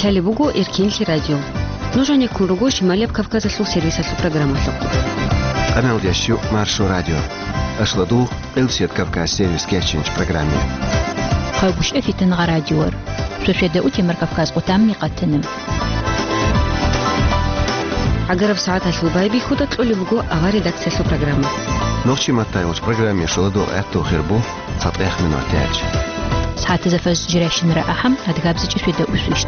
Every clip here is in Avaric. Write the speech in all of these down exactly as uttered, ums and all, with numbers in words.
Лъалеб буго Эркинлъи радио. Нуж гьанеккун руго Шималияб Кавказалъул сервисалъул программалъухъ. Къаналда щу Маршо радио. Ашладу Къилсият Кавказ сервис кечинч программе. Хъагушев Фитнагъа радиор. Шошеда утемар Кавказ къутамни къатанам. Агараб сагӀаталъул байбихьуда кьолеб буго авар редакциялъул программа. Нохчи маттайгъуч программе шоладу гӀатту хирбу. ЦатӀех минут яч. СагӀатазда фаз жирайщинара ахӀам, адгабзичӀ шведа усвищ.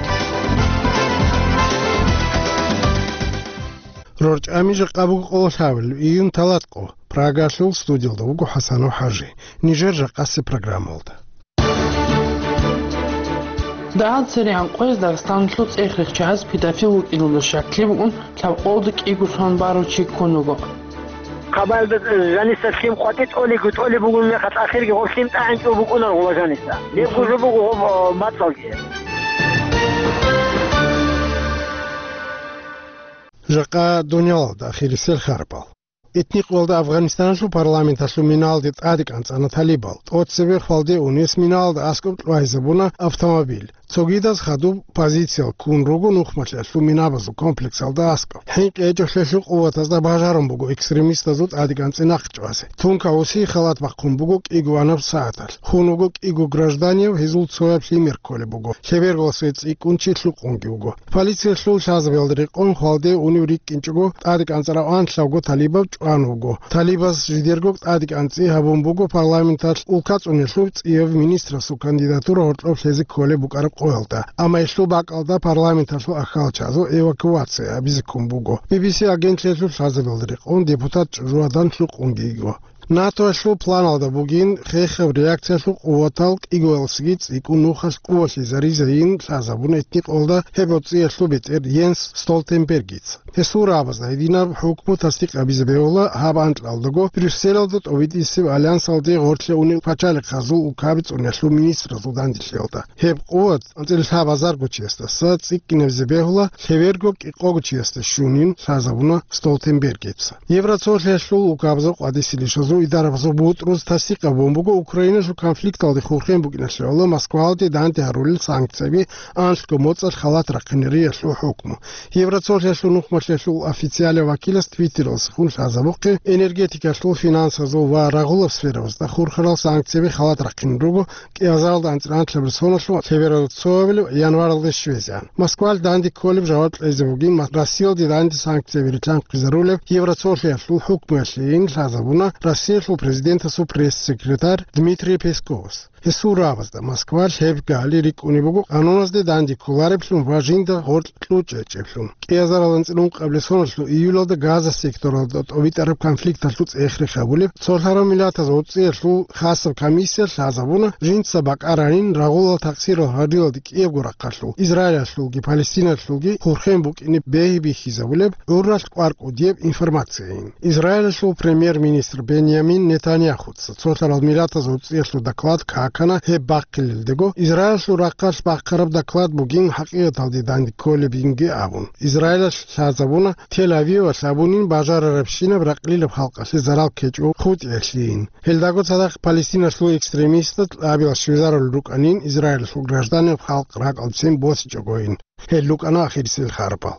РорчӀами жакъа буго къоло лъабил, июнь талатӀ къо. Прагалъул студиялда вуго ХӀасанов ХӀажи. Нижер жакъасе программалда. Дагьал церегӀан къояз Дагъистаналъул цӀех рихчагьаз педофил вукӀиналда щаклъи букӀун, лъабкъолда кӀиго сон барав чи ккун вуго. Хабарда жаниса лъим къватӀи тӀолего, тӀолеб бугун мехалъ ахирги гъоб лъим тӀагӀинчӀо букӀунар гъула жаниса. Гьеб гужу буго гъоб, о, мацӀалги. Жакъа дунялалда ахирисел харпал. Этникъвалда Афганистаналъул парламенталъул миналде тӀаде кӀанцӀана талибал. ТӀоцебе хвалде унес миналда аскӀоб кьвайзабуна автомобиль. Цогидаз хадуб позициял ккун руго нухмалъиялъул минабазул комплексалда аскӀоб. ХӀинкъи гьечӀолъиялъул къуватазда бажарун буго экстремистазул тӀадекӀанцӀи нахъчӀвазе. Тунка гьусий халат бахъун буго кӀиго анаб сагӀаталъ. Хун вуго кӀиго гражданияв, гьезул цояб лъимер кколеб буго. Лъеберго светӀ цӀикӀкӀун чи лъукъунги вуго. Полициялъул лъазабиялда рекъон хвалде унев рикӀкӀинчӀого тӀадекӀанцӀарав анлъавго талибав чӀван вуго. Талибас жидерго тӀадекӀанцӀи гьабун буго парламенталъ улка цӀунелъул цӀияб министрасул кандидатура гьоркьоб лъезе кколеб букӀараб къоялда, амма гьелъул бакӀалда парламенталъул ахьалчазул эвакуация гьабизе ккун буго. Би би си агентлъиялъул лъазабиялда рекъон депутат чӀужугьадан лъукъунги йиго. НАТОялъул планалда бугин хехаб реакциялъул къуватал кӀигоялсаги цӀикӀкӀун нухалъ къувалъизаризайин лъазабун этникъвалда гьеб гьоцӀиялъул бетӀер Йенс Столтенбергица. Гьесул рагӀабазда гьединаб хӀукму тасдикъ гьабизе бегьула гьаб анкьалдаго Брюсселалда тӀобитӀисеб альянсалде гъорлъе унев пачалихъазул улкаби цӀунелъул министразул данделъиялда. Гьеб къуват анцӀила лъабазарго чиясдаса цӀикӀкӀинабизе бегьула, лъеберго кӀикъого чиясда щунин лъазабуна Столтенбергица. Евроцолъиялъул улкабазул къвадиси лишазул идарабазул бутӀруз тасдикъ гьабун буго Украиналъул конфликталде хурхен букӀиналъе гӀоло Москвалде данде гьарулел санкцияби анлъго моцӀалъ халат рахъинариялъул хӀукму. Евроцолъиялъул нухмалъиялъул официалияв вакилас Твиттералдасахун лъазабухъе энергетикалъул, финансазул ва рагъулаб сферабазда хурхарал санкцияби халат рахъин руго кӀиазаралда анцӀила анлъабилеб соналъ лъебералда цоабилеб январалде щвезегӀан. Москвалъ данде кколеб жаваб кьезе бугин ма-, Россиялде данде санкцияби рилълъанхъизарулеб Евроцолъиялъул хӀукмуялъейин лъазабуна Россиялъул президентасул пресс-секретарь Дмитрий Песковас. Гьесул рагӀабазда Москвалъ гьеб гали рикӀкӀунеб буго къануназде данде кколареблъун ва жинда гъоркь кьучӀечӀеблъун. КӀиазарал анцӀила ункъабилеб соналъул июлалда Газа секторалда тӀобитӀараб конфликталъул цӀех рехабулеб Цолъарав Миллатаз гьоцӀиялъул хасаб комиссия лъазабуна жинца бакӀаранин рагъулал такъсирал гьарилалде кӀиябго рахъалъул, Израилалъулги Палестиналъулги хурхен букӀине бегьи бихьизабулеб гӀурралъ кӀвар кӀудияб информацияйин. Израилалъул премьер-министр Беньямин Нетаньяхуца Цолъарал Миллатаз гьоцӀиялъул доклад какана гьеб бахъилелдего, Израилалъул рахъалъ бахъараб доклад бугин хӀакъикъаталде данде кколебинги абун. Израилалъ лъазабуна Тель-Авивалъ абунин бажарарабщинаб ракълилаб халкъалъе зарал ккечӀо хутӀиялъейин. Гьелдаго цадахъ Палестиналъул экстремистаз абилал щвезарулел рукӀанин Израилалъул гражданин халкъ ракӀалдецин босичӀогойин. Гьел рукӀана ахирисел харпал.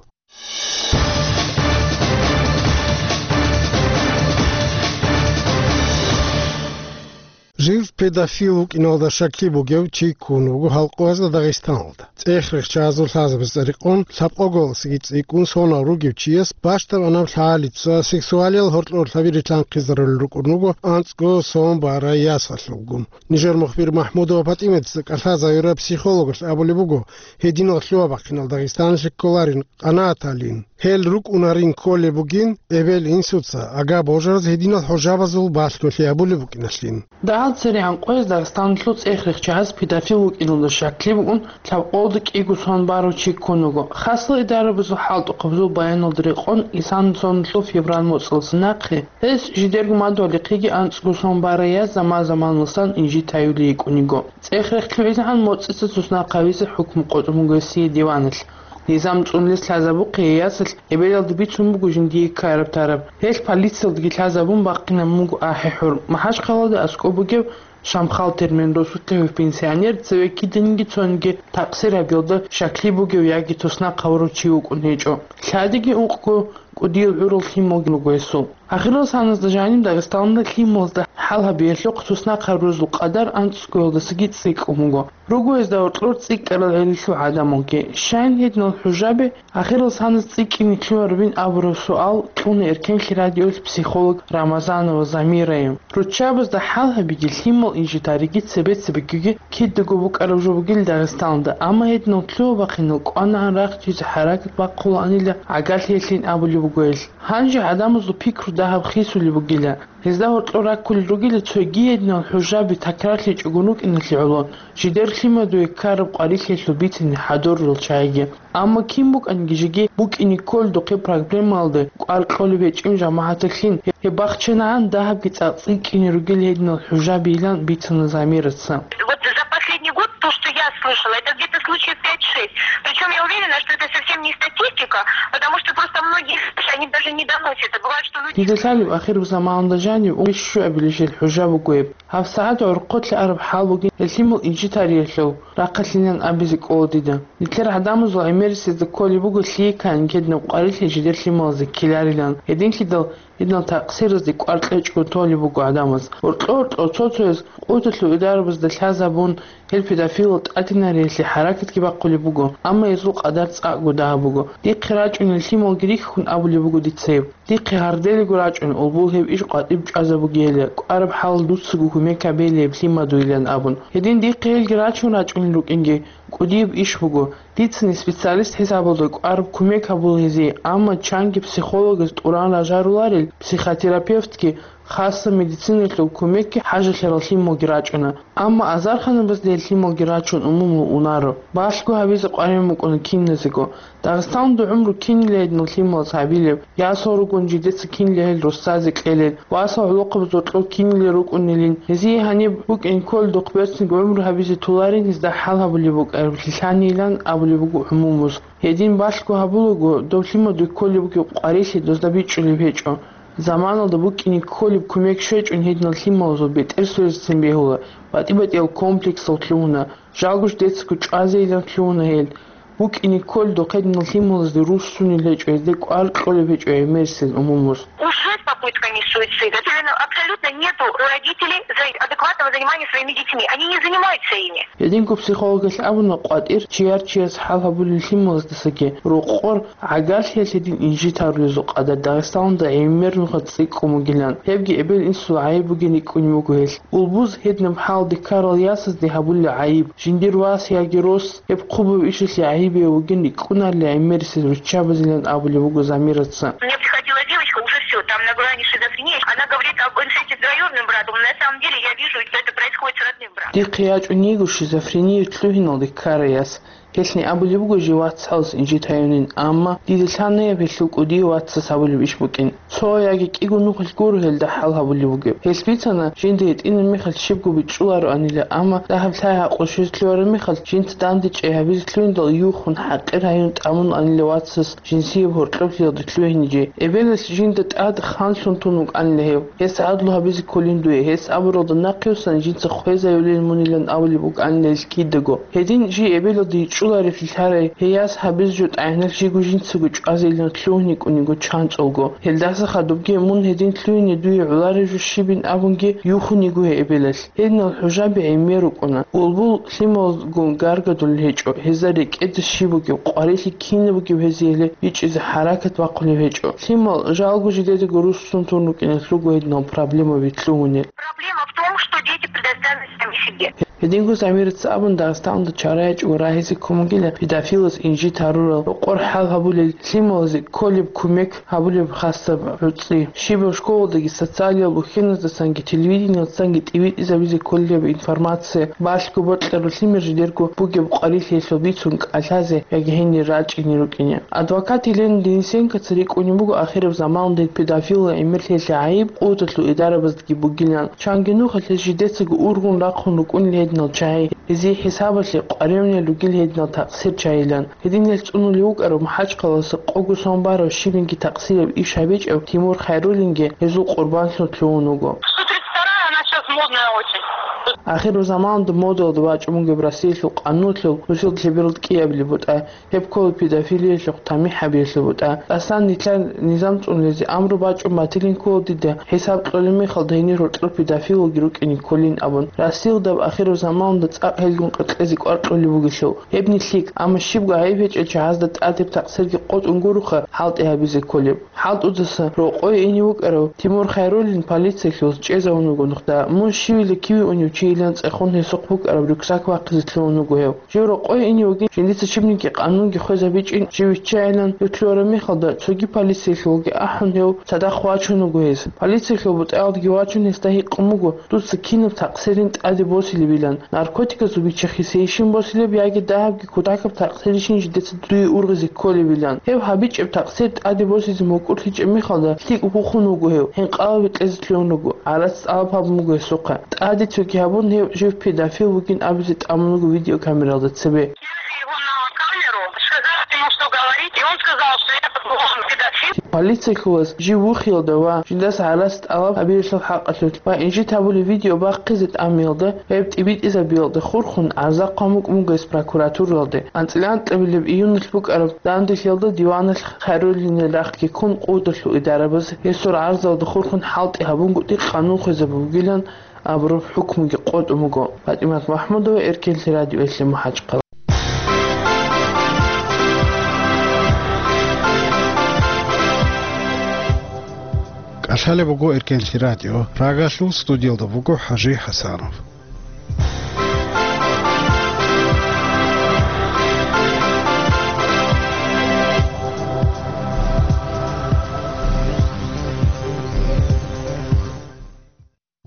Жив педофил вукӀиналда щаклъи бугев чи ккун вуго гьал къоязда Дагъистаналда. ЦӀех рихчазул лъазабазда рекъон лъабкъоголасаги цӀикӀкӀун сонал ругев чияс бащдаб анаб лъалица сексуалиял гьоркьорлъаби рилълъанхъизарулел рукӀун руго анцӀго сон барай ясалъулгун. Нижер мухбир МахӀмудова ПатӀиматица кӀалъазавираб психологалъ абулеб буго, гьединал лъугьа-бахъинал Дагъистаналъе кколарин къанагӀаталин. Гьел рукӀунарин кколеб бугин эбел-инсуца, ага-божараз гьединал хӀужабазул балъголъи гьабулеб букӀиналъин. Дагьал церегӀан къояз Дагъистаналъул цӀех рихчагьаз педофил вукӀиналда щаклъи букӀун лъабкъолда кӀиго сон барав чи ккун вуго. Хасал идарабазул хӀалтӀухъабазул баяналда рекъон, исанасонлъул февраль моцӀалдаса нахъе гьес жидерго мадугьалихъеги анцӀго сон барай яз заман-заманалдасан инжит гьаюлей йикӀун йиго. ЦӀех рехлъугӀизегӀан моцӀица цоснахъ гьавизе хӀукму къотӀун буго гьесие диваналъ. Низам цӀунулес лъазабухъе гьей ясалъ эбелалда бицун буго жиндие ккараб-тараб. Гьелъ полициялдаги лъазабун бахъинабун буго ахӀи-хӀур. МахӀачхъалада аскӀоб бугеб Шамхал Термен росулъ лъугьев пенсионер цеве киданиги цониги такъсир гьабиялда щаклъи бугев яги туснахъ гьавурав чи вукӀун гьечӀо. Лъадиги ункъго кӀудияв гӀурал лъималги руго гьесул. Ахирал саназда жаниб Дагъистаналда лъималазда хӀал гьабиялъухъ туснахъ гьарурал къадар анцӀгоялдасаги цӀикӀкӀун буго. Руго гьезда гьоркьор цӀикӀкӀарал гӀелалъул гӀадамалги. Щайин гьединал хӀужаби ахирал саназ цӀикӀкӀине лъугьарабин абураб суал кьуна Эркенлъи радиоялъ психолог Рамазанова Замирае. Руччабазда хӀал гьабиги, лъимал инжитариги цебе-цебегиги кидаго букӀараб жо бугел Дагъистаналда, амма гьединал лъугьа-бахъинал кӀванагӀан рахчизе хӀаракат бахъулаанила гӀагарлъиялъин абулеб буго гьелъ. Гьанже гӀадамазул пикру дагьаб хисулеб бугила. Гьезда гьоркьор раккулел ругила цоги гьединал хӀужаби такрарлъичӀого рукӀиналъе гӀоло, жидер лъимадуе ккараб къварилъиялъул бицине хӀадурал чагӀиги. Амма кин букӀаниги жеги букӀине кколдухъе проблемалда кӀвар кьолеб гьечӀин жамагӀаталъин, гьеб бахчанагӀан дагьабги цӀакъ цӀикӀкӀине ругел гьединал хӀужабийилан бицана Замираца. Вот за последний год то, что я слышала, это где-то случаев пять-шесть. Причем я уверена, что это совсем не статистика, потому что просто многие случаи, они даже не доносятся. Бывает, что люди... Дида лъалеб ахираб заманалда жанив ункъоялда щуабилищел хӀужа буго гьеб. ГьабсагӀат гӀорхъолъа араб хӀал бугин гьелъимал инжитариялъул рахъалъилан абизе кӀола дида. Нилъер гӀадамазул гӀемерисезда кколеб буго лъикан кеднаб къварилъи жидер лъималазе ккеларилан. Гьединлъидал гьединал такъсиразде кӀвар кьечӀого толеб буго гӀадамаз. Гьоркьо-гьоркьо цо-цояз къуталъул идарабазда лъазабун, гьел педофилал тӀадинариялъе хӀаракатги бахъулеб буго, амма гьезул къадар цӀакъго дагьаб буго. Дихъе рачӀунел лъималги рихьун абулеб буго дица гьеб. Дихъе гьарделего рачӀун, улбул гьеб иш къватӀиб чӀвазабугейилан, кӀвараб хӀалалъ дуцаго кумек гьабейилан гьеб лъимадуйилан абун. Гьедин дихъе гьелги рачун рачӀунел рукӀинги кӀудияб иш буго. Дицани специалист хӀисабалда кӀвараб кумек гьабула гьезие, амма чанги психологас тӀуран ражаруларел психотерапевтги, хасса медицинаялъул кумекги хӀажалъарал лъималги рачӀуна. Амма азарханабазда гьел лъималги рачун умумул унаро. Балъго гьабизе къваригӀун букӀуна киназего. Дагъистаналда гӀумру кинила гьединал лъималаз гьабилеб, ясал ругони жидеца кинила гьел руссазе кьелел, васал гӀолохъабазул гьоркьор кинила рукӀунилин, гьезие гьаниб букӀине кколдухъ берцинго гӀумру гьабизе толарин гьезда хӀал гьабулеб букӀараб лъилъанилан абулеб буго гӀумумуз. Гьедин балъго гьабулаго, доб лъимадуе кколеб бугеб къварилъи дозда бичӀчӀулеб гьечӀо. Заманалда букӀине кколеб кумек щвечӀун гьединал лъималазул бетӀер сверизцин бегьула, батӀи-батӀиял комплексал лъугьуна, жалго жидецаго чӀвазейилан лъугьуна гьел. БукӀине кколдухъ гьединал лъималазде руссунел гьечӀо, гьезде кӀвар кьолеб гьечӀо гӀемерисез умумуз. Уже с попытками суицида. Именно абсолютно нету у родителей за-, адекватного занимания своими детьми. Они не занимаются ими. Гьединго психологалъ абуна, къватӀир чияр-чияс хӀал гьабулел лъималаздасаги рокъор гӀагарлъиялъе дин инжит гьарулезул къадар Дагъистаналда гӀемер нуха цӀикӀкӀун бугилан. Гьебги эбел-инсул гӀайиб бугин рикӀкӀунеб буго гьелъ. Улбуз гьединаб хӀалде ккарал ясазде гьабулел гӀайиб, жиндир вас яги рос гьеб хъубаб ишалъе гӀайибияв вугин рикӀкӀунарила гӀемерисез руччабазилан абулеб буго Замираца. Мне приходила девочка, уже всё, там на грани шизофрении. Она говорит об инцесте с двоюродным братом, но на самом деле я вижу, что это происходит с родным братом. Дихъе ячӀун йиго шизофрениялъ лъугьиналде ккарай яс. Гьелъни абулеб буго жив вацгӀалас инжит гьаюнин, амма дида лъанайаб гьелъул кӀудияв вацас гьабулеб иш букӀин. Цо яги кӀиго нухалъ гуро гьелда хӀал гьабулеб бугеб. Гьелъ бицана, жинда гьитӀинаб мехалъ щибго бичӀчӀулароанила, амма дагьаб лъай гьакъу щвезе лъугьараб мехалъ жинца данде чӀей гьабизе лъугьиндал юхун, хӀакъир гьаюн тӀамун анила вацас жинсияб гьоркьоб лъиялда лъугьиниги. Эбелалъ жинда тӀад ханлъун тун вукӀанила гьев. Гьес гӀадлу гьабизе кколин дуе, гьес абуралда нахъе вуссани жинца хвезайулин мунилан абулеб букӀанила гьелъ кидаго. Гьедин жий эбелалда йичӀчӀуларевлъи лъарай, гьей яс гьабизе жо тӀагӀиналъ жиго жинцаго чӀвазейилан лъугьун йикӀун йиго чанцӀулго. Гьелдаса хадубги мун гьедин лъугьине дуе гӀолареб жо щибин абунги юхун йиго гьей эбелалъ. Гьединал хӀужаби гӀемер рукӀуна. Улбул лъималгун гаргадулел гьечӀо, гьезда рекӀеда щиб бугеб, къварилъи кинаб бугеб гьезие гьеле бичӀчӀизе хӀаракат бахъулеб гьечӀо. Лъимал жалго жидедаго руссун тун рукӀиналъ руго гьединал проблемаби лъугьунел. Проблема в том, что дети предоставлены сами себе. Гьединго Замираца абун, Дагъистаналда чара ячӀого рагьизе ккун бугила педофилас инжит гьарурал, рокъор хӀал гьабулел, лъималазе кколеб кумек гьабулеб хасаб гӀуцӀи. Щибаб школалдаги социалиял ухьеназдасанги телевидениялдасанги тӀибитӀизабизе кколеб информация, балъго бокьараб лъимер жидерго бугеб къварилъиялъул бицун кӀалъазе яги гьенир рачӀине рукӀине. Адвокат Елена Денисенкоца рикӀкӀунеб буго ахираб заманалда педофилал гӀемерлъиялъе гӀайиб къуваталъул идарабаздаги бугилан. Чанги нухалъ гьез жидецаго ургъун рахъун рукӀунел гьедин гьединал чагьи, гьезие хӀисабалъе къваригӀунел ругел гьединал такъсир чагьилан. Гьединал цӀунулев вукӀарав МахӀачхъалаялъа къого сон барав щибниги такъсираб иш гьабичӀев Тимур Хайруллинги гьезул къурбанлъун лъугьун вуго. Сто тридцать вторая, она сейчас модная очень. Ахирзаманалда модалда вачӀун бугеб Россиялъул къануналъул нусил лъебералда кӀиабилеб бутӀа. Гьеб ккола педофилиялъухъ тамихӀ гьабиялъул бутӀа. ТӀасан нилъер низам цӀунулезе амру бачӀун батилин ккола дида, хӀисаб кьолеб мехалда гьенир гьоркьор педофилалги рукӀине кколин абун. Россиялда ахирзаманалда цӀакъ гьелгун къеркьезе кӀвар кьолеб бугелъул. Гьебни лъикӀ, амма щибго гӀайиб гьечӀел чагӀазда тӀадеб такъсирги къотӀун гуроха хӀалтӀи гьабизе кколеб. ХӀалтӀудаса рокъое ине вукӀарав Тимур Хайруллин полициялъулаз чӀезавун вуго нухда. Мун щивила киве унев чийилан цӀехун гьесухъ букӀараб рюкзак вахъизе лъугьун вуго гьев. Жив рокъое ине вугин, жиндица щибниги къанунги хвезабичӀин, жив виччайилан гьев лъугьараб мехалда, цоги полициялъулги ахӀун, гьев цадахъ вачун вуго гьес. Полициялъул бутӀаялдаги вачун, гьесда гьикъун буго, дуца кинаб такъсирин тӀаде босилебилан, наркотиказул биччахъесейищин босилеб яги дагьабги кутакаб такъсирищин жидеца дуе ургъизе кколебилан. Гьев гьабичӀеб такъсир тӀаде босизе мукӀурлъичӀеб мехалда лъикӀ вухун вуго гьев, гьинкъалаби кьезе лъугьун руго, гӀарац тӀалаб гьабун буго гьесухъа. ТӀаде цоги гьабун, гьев жив педофил вугин абизе тӀамун вуго видеокамералда цебе. Его на камеру, сказал ему, что говорить, и он сказал, что я, по-моему, педофил. Полициялъулаз жив вухиялда ва жиндаса гӀарац тӀалаб гьабиялъул хӀакъалъулъ ва инжит гьабулеб видео бахъизе тӀамиялда гьеб тӀибитӀизабиялда хурхун гӀарза хъван букӀун буго гьес прокуратуралде. АнцӀила анкьабилеб июналъ букӀараб данделъиялда диваналъ Хайруллинил рахъги ккун къудалъул идарабаз гьесул гӀарзалда хурхун хӀалтӀи гьабунгутӀи къанун хвезабулгилан абураб хӀукмуги къотӀун буго. ПатӀимат МахӀмудова, Эркенлъи радиоялъе МахӀачхъала. КӀалъалеб буго Эркенлъи радио. Рагалъул студиялда вуго ХӀажи ХӀасанов.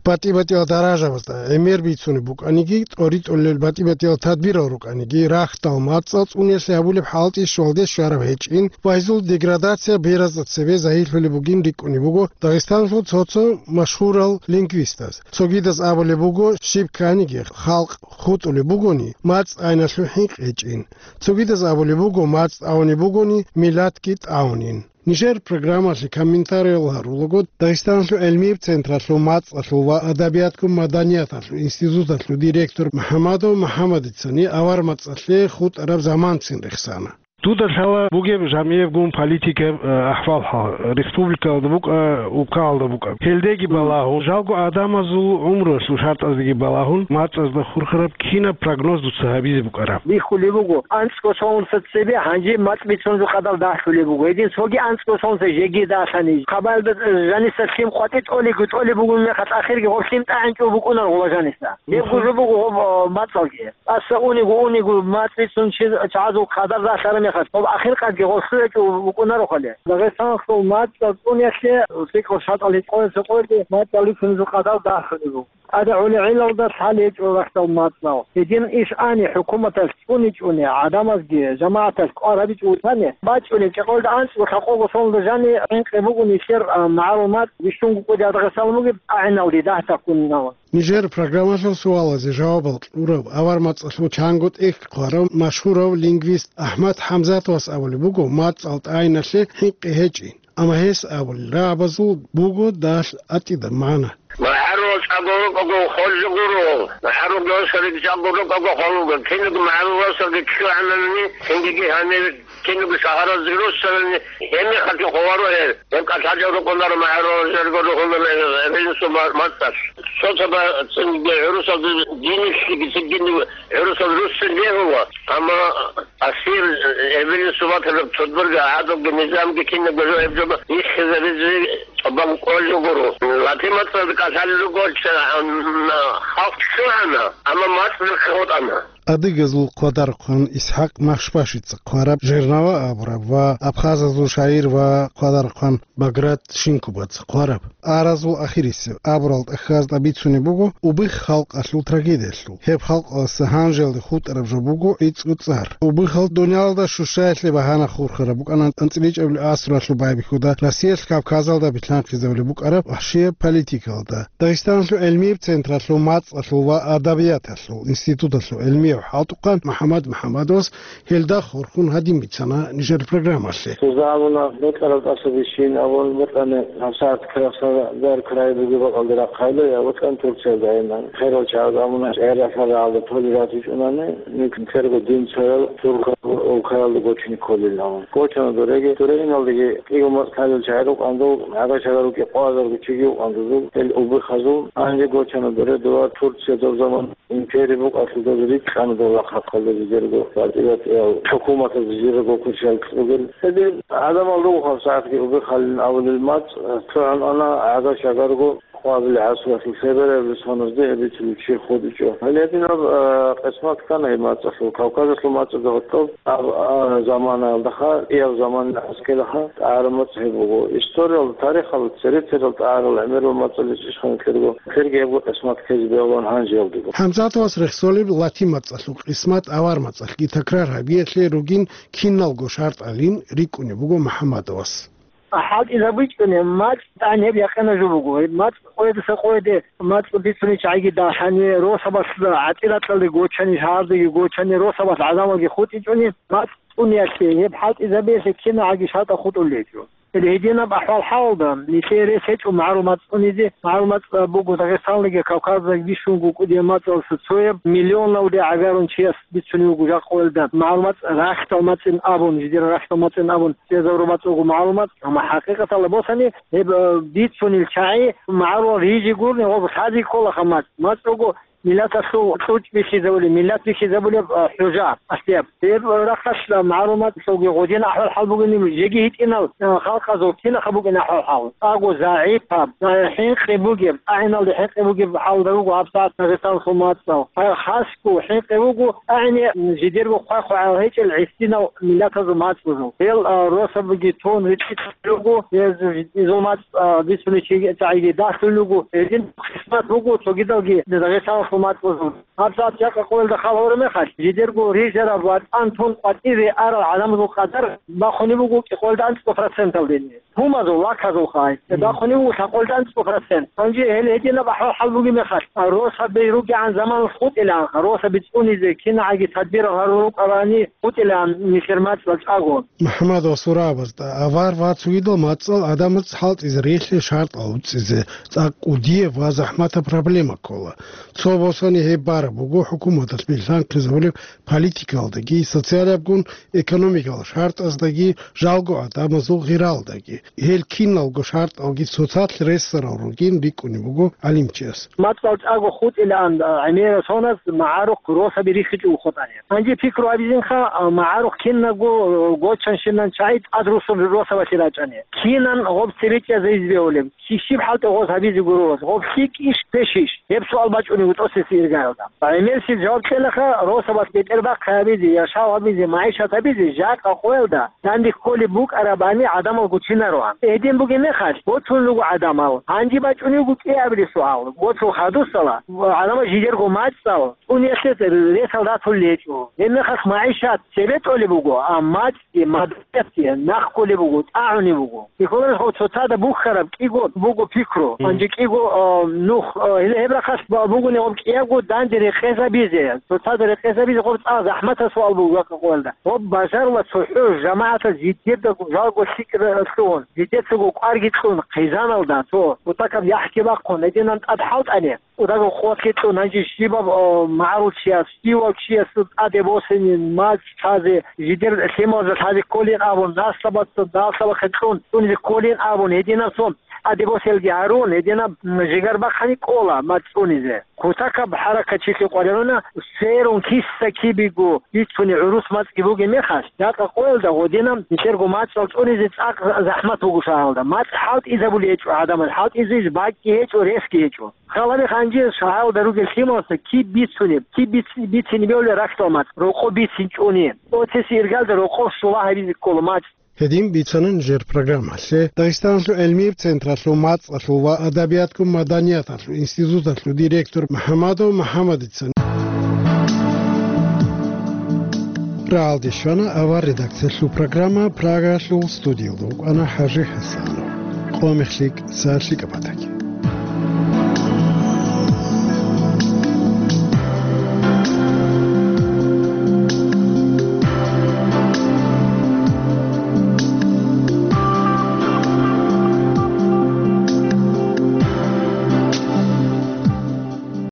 БатӀи-батӀиял даражабазда гӀемер бицунеб букӀаниги, тӀоритӀулел батӀи-батӀиял тадбирал рукӀаниги, рахьдал мацӀал цӀуниялъе гьабулеб хӀалтӀи щвалде щвараб гьечӀин ва гьезул деградация беразда цебе загьирлъулеб бугин рикӀкӀунеб буго Дагъистаналъул цо-цо машгьурал лингвистаз. Цогидаз абулеб буго, щиб кканиги халкъ хутӀулеб бугони, мацӀ айналъул хӀинкъи гьечӀин. Цогидаз абулеб буго, мацӀ тӀагӀунеб бугони, миллатги тӀагӀунин. Нижер программалъе комментариял гьарулаго Дагъистаналъул гӀилмияб централъул мацӀалъул ва адабиятго-маданияталъул институталъул директор МухӀамадов МухӀамадицани авар мацӀалъе хутӀараб заманцин рехсана. Дуда лъала бугеб жамигӀебгун политикаб, э, ахӀвал-хӀал, республикаялда букӀа, убкаялда букӀа. Гьелдеги балагьун, жалго адамазул гӀумруялъул шартӀаздеги балагьун, мацӀазда хурхараб кинаб прогноз дуца гьабизе букӀараб? Бихьулеб буго, анцӀго сонлъа цебе гьанже мацӀ бицунеб къадар дагьлъулеб буго. Гьедин цоги анцӀго сонлъа жеги дагьлъани, хабалда, э, жаниса лъим къватӀи тӀолего тӀолеб бугеб мехалъ, ахирги гъоб лъим тӀагӀинчӀо букӀунар гъола жаниса. Гьеб Мгм. гужу буго гъоб, э, мацӀалги. ТӀаса униго, униго мацӀ бицун чи-, чагӀазул къадар дагьлъараб мехалъ, гъоб ахир къадги гъолъуячӀо букӀунарохъали. Дагъистаналъул мацӀал цӀуниялъе лъикӀал шартӀал гьечӀо, цо къойги мацӀал рихьунезул къадар дагьлъулеб буго. ТӀадегӀулел гӀелалда лъалеб гьечӀо рахьдал мацӀал. Гьедин иш ани хӀукуматалъ цӀуничӀони, гӀадамазги жамагӀаталъ кӀвар гьабичӀо вутани, бачӀунеб чӀикъоялда анцӀго лъабкъого сонлда жани хӀинкъи бугони нилъер, а, магӀарул мацӀ бищунго кӀудияб Дагъистан бугеб тӀагӀиналде дагь таккунилан. Нижер программалъул суалазе жавабал кьурав, авар мацӀалъул чанго тӀехь хъварав машгьурав лингвист АхӀмад ХӀамзатовас абулеб буго, мацӀал тӀагӀиналъе хӀинкъи гьечӀин, амма гьес абулел рагӀабазул буго дагь атӀида магӀна. МагӀарул чӀаго рукӀаго холлъи гуро, магӀарул росариги чӀаго рукӀаго холлъуго, кинаб магӀарул росариги ччугӀанани, цинги гьанир кинаб шагьаразде руссанани, гьебмехалъги хъваро гьел. Гьеб кӀалъалел рукӀунаро магӀарул жерго рухӀуна гьел, гьел сумал мацӀалъ. Цо-цо ба цинги гӀурусалда динилъги цинги гӀурусал руссин бегьула, амма Асир, эбелин субатараб цодбарги гӀадабги низамги кинабго жо гьеб жо биххизаризе тӀубан кӀолел гуро. Латин мацӀалда кӀалъалел руго, м, халкъ ччугӀана, амма мацӀ биххи хутӀана. Адыгазул хъвадархъван ИсхӀакъ Машбашица хъвараб «Жернава» абураб ва абхазазул шагьир ва хъвадархъван Баграт Шинкубаца хъвараб «Аразул ахирисеб» абурал тӀахьазда бицунеб буго убихъ халкъалъул трагедиялъул. Гьеб халкъалъа гьанжеялде хутӀараб жо буго гӀицӀго цӀар. Убихъал дуниялалда щущаялъе багьана хурхараб букӀана анцӀила чӀебилеб асралъул байбихьуда Россиялъ Кавказалда билъанхъизабулеб букӀараб вахӀшияб политикалда. Дагъистаналъул гӀилмияб централъул мацӀалъул ва адабияталъул институталъул гӀилмияв хӀалтӀухъан МухӀаммад МухӀаммадовас гьелда хурхун гьадин бицана нижер программалъе. Сузда абуна, бокьараб тӀаса бищин абун бокьани, гьабсагӀат краснодар край бугеб бакӀалде рахъайла, я бокьани Турциялда гьайна. Херал чагӀаз абуна, гӀерасал рагӀалда толерат гьечӀунани, нилъерго дин цоял туркал улкаялда гочине кколилан. Гочана дореги, дорегиналдаги кӀиго мацӀ лъалел чагӀи рукӀандул, гӀага-шагар рукӀи къоазарго чиги вукӀандузул, гьел убихъазул, гьанже гочана доре дова Турция доб заман империя букӀалъул доз рикӀкӀана дов рахъ-рахъалда жидерго батӀи-батӀиял хӀукуматаз жидерго кучал кьугел. Гьедин гӀадамал руго гьабсагӀатги убихъалин абулел мацӀ, цогӀан ана гӀага-шагарго къвабил гӀасралъул лъеберабилеб соназде гьеб бицулев чи хутӀичӀо. Гьеле гьединаб, а, къисмат ккана гьеб мацӀалъул, Кавказалъул мацӀазда гьоркьоб гьаб, а, заманаялдаха, кӀияб заман аскӀелаха, тӀагӀараб мацӀ гьеб буго. Историялда, тарихалда цере-церал тӀагӀарал гӀемерал мацӀалъе ишхъан ккерго, ккерги гьебго къисмат ккезе бегьулаан гьанжеялдего. ХӀамзатовас рехсолеб латин мацӀалъул къисмат авар мацӀалъги такрар гьабиялъе ругин киналго шартӀалин рикӀкӀунеб буго МухӀаммадовас. ХӀалтӀизабичӀони, мацӀ тӀан гьеб якъина жо буго. Гьеб мацӀ къоядаса къояде, мацӀ бицунел чагӀиги дагьани, росабалъ гӀатӀи-ракьалде гочани, шагьардаги гочани, росабалъ гӀадамалги хутӀичӀони, мацӀ цӀуниялъе, гьеб хӀалтӀизабиялъе кинагӀаги шартӀал хутӀулел гьечӀо. Гьединаб ахӀвал-хӀалалда нилъее рес гьечӀо магӀарул мацӀ цӀунизе. МагӀарул мацӀ буго Дагъистаналдаги Кавказалдаги бищунго кӀудияб мацӀалъуса цояб, миллионалде гӀагарун чияс бицунев вуго жакъа къоялда. МагӀарул мацӀ рахьдал мацӀин абун, жидер рахьдал мацӀин абун, цӀезабураб мацӀ буго магӀарул мацӀ. Амма хӀакъикъаталда босани, гьеб, э, бицунел чагӀи магӀарулал рижи гурони, гъоб лъази кколаха мацӀ. МацӀ буго миллаталъул кьучӀ бихьизабулеб, миллат бихьизабулеб, э, хӀужа, ахтияб. Гьеб рахъалъ магӀарул мацӀалъулги гъодин ахӀвал-хӀал бугони, жеги гьитӀинал, э, халкъазул кинаха букӀин ахӀвал-хӀал. ТӀаго загӀипаб, э, хӀинкъи бугеб, агьиналде хӀинкъи бугеб хӀалда руго гьабсагӀат Дагъистаналъул мацӀал. Гьа, хасго хӀинкъи буго, агьине, м, жидерго хъвай-хъвагӀал гьечӀел гӀисинал миллатазул мацӀазул. Гьел, а, росабиги тун ритӀи кьун руго, гьез изул мацӀ, а, бицунел чагӀиги дагьлъун руго. Гьедин хъисмат буго цогидалги Дагъистаналъул мацӀазул. ГьабсагӀат жакъа къоялда хал гьорумехалъ, жидерго рижараб ва тӀан тун къватӀире арал гӀадамазул къадар бахунеб буго кӀикъоялда анцӀго проценталдени. Гьумазул, лаказул хай. Мгм. Бахунеб буго лъабкъоялда анцӀго процент. Гьанже гьел гьединаб ахӀвал-хӀал бугеб мехалъ, росаби ругегӀан заманалъ хутӀилаанха, росаби цӀунизе кинагӀаги тадбирал гьарун рукӀарани хутӀилаан нилъер мацӀал чӀаго. МухӀаммадовас абазда, авар ва цогидал мацӀал гӀадамаз хӀалтӀизе рихье шартӀал уцӀизе, цӀакъ кӀудияб ва захӀматаб проблема ккола. Цо босани гьеб бараб буго хӀукуматалъ билълъанхъизабулеб политикалдаги, социалабгун экономикал шартӀаздаги, жалго гӀадамазул гъиралдаги. Гьел киналго шартӀалги цоцалъ ресарал ругин рикӀкӀунеб буго гӀалимчияс. МацӀал чӀаго хутӀилаан, а, гӀемерал соназ магӀарухъ росаби рихьичӀого хутӀани. Гьанже пикру гьабизинха, а, магӀарухъ кинабго, а, гочанщинан чагӀи тӀад русун росабалъе рачӀани. Кинан гъоб цебе чӀезайизе бегьулеб? Щиб хӀалтӀи гъоз гьабизе гуро гъоз? Гъоб лъикӀищ, пешищ? Гьеб суал бачӀунеб тӀоцебесеб иргаялда. ГӀемерисел жаваб кьелаха, росабалъ бетӀербахъи гьабизе, яшав гьабизе, магӀишат гьабизе, жакъа къоялда данде кколеб букӀарабани гӀадамал гучинароан. Гьедин бугеб мехалъ, гочун руго гӀадамал. Гьанже бачӀунеб буго кӀиабилеб суал. Гочул хадусала, гӀадамал жидерго мацӀал цӀуниялъе ресал ратулел гьечӀо. Гьеб мехалъ магӀишат цебе тӀолеб буго, а мацӀги, маданиятги нахъ кколеб буго, тӀагӀунеб буго. Бихьуларелъул цоцазда бухьараб кӀиго буго пикру. Мгм. Гьанже кӀиго, а, нух, а, гьеле гьеб рахъалъ ба-, бугони гъоб кӀиябго данде рекъезабизе, цоцазда рекъезабизе гъоб цӀакъ захӀматаб суал буго жакъа къоялда. Гъоб бажарулеб цохӀо жамагӀаталъ жидерго жалго лъикӀ ра-, лъугьун, жидецаго кӀварги кьун, хъизаналда цо кутакаб яхӀги бахъун, гьединан тӀад хӀалтӀани. Удаго къоялъ кьун гьанже щибаб, о, магӀарул чияс, щивав чиясул тӀаде босинин, мацӀ лъазе, жидер лъималазда лъазе кколин абун, наслабаца, наслабахъе кьун, цӀунизе кколин абун, гьединаб цо тӀаде боселги гьарун, гьединаб, м, жигар бахъани кӀола мацӀ цӀунизе. Кутакаб хӀаракатчилъи къваригӀуна, сверун киса кибего бицуни гӀурус мацӀги бугеб мехалъ, жакъа къоялда гъодинаб нилъерго мацӀал цӀунизе цӀакъ за-, захӀмат буго шагьаралда. МацӀ хӀалтӀизабулей гьечӀо гӀадамаз, хӀалтӀизе бакӀги гьечӀо, ресги гьечӀо. Халабихъ гьанже шагьаралда ругел лъималазда киб бицунеб, киб биц-, бицине бевлеб рахьдал мацӀ, рокъоб бицинчӀони. Оцеси иргалда рокъоб щула гьабизе ккола мацӀ. Гьедин бицана нижер программалъе Дагъистаналъул гӀелмияб централъул мацӀалъул ва адабиятго маданияталъул институталъул директор МухӀамадов МухӀамадица. Рагьалде щвана авар редакциялъул программа, Прагаялъул студиялда вукӀана ХӀажи ХӀасанов. Къо мехлъи, са лъикӀаб батаги.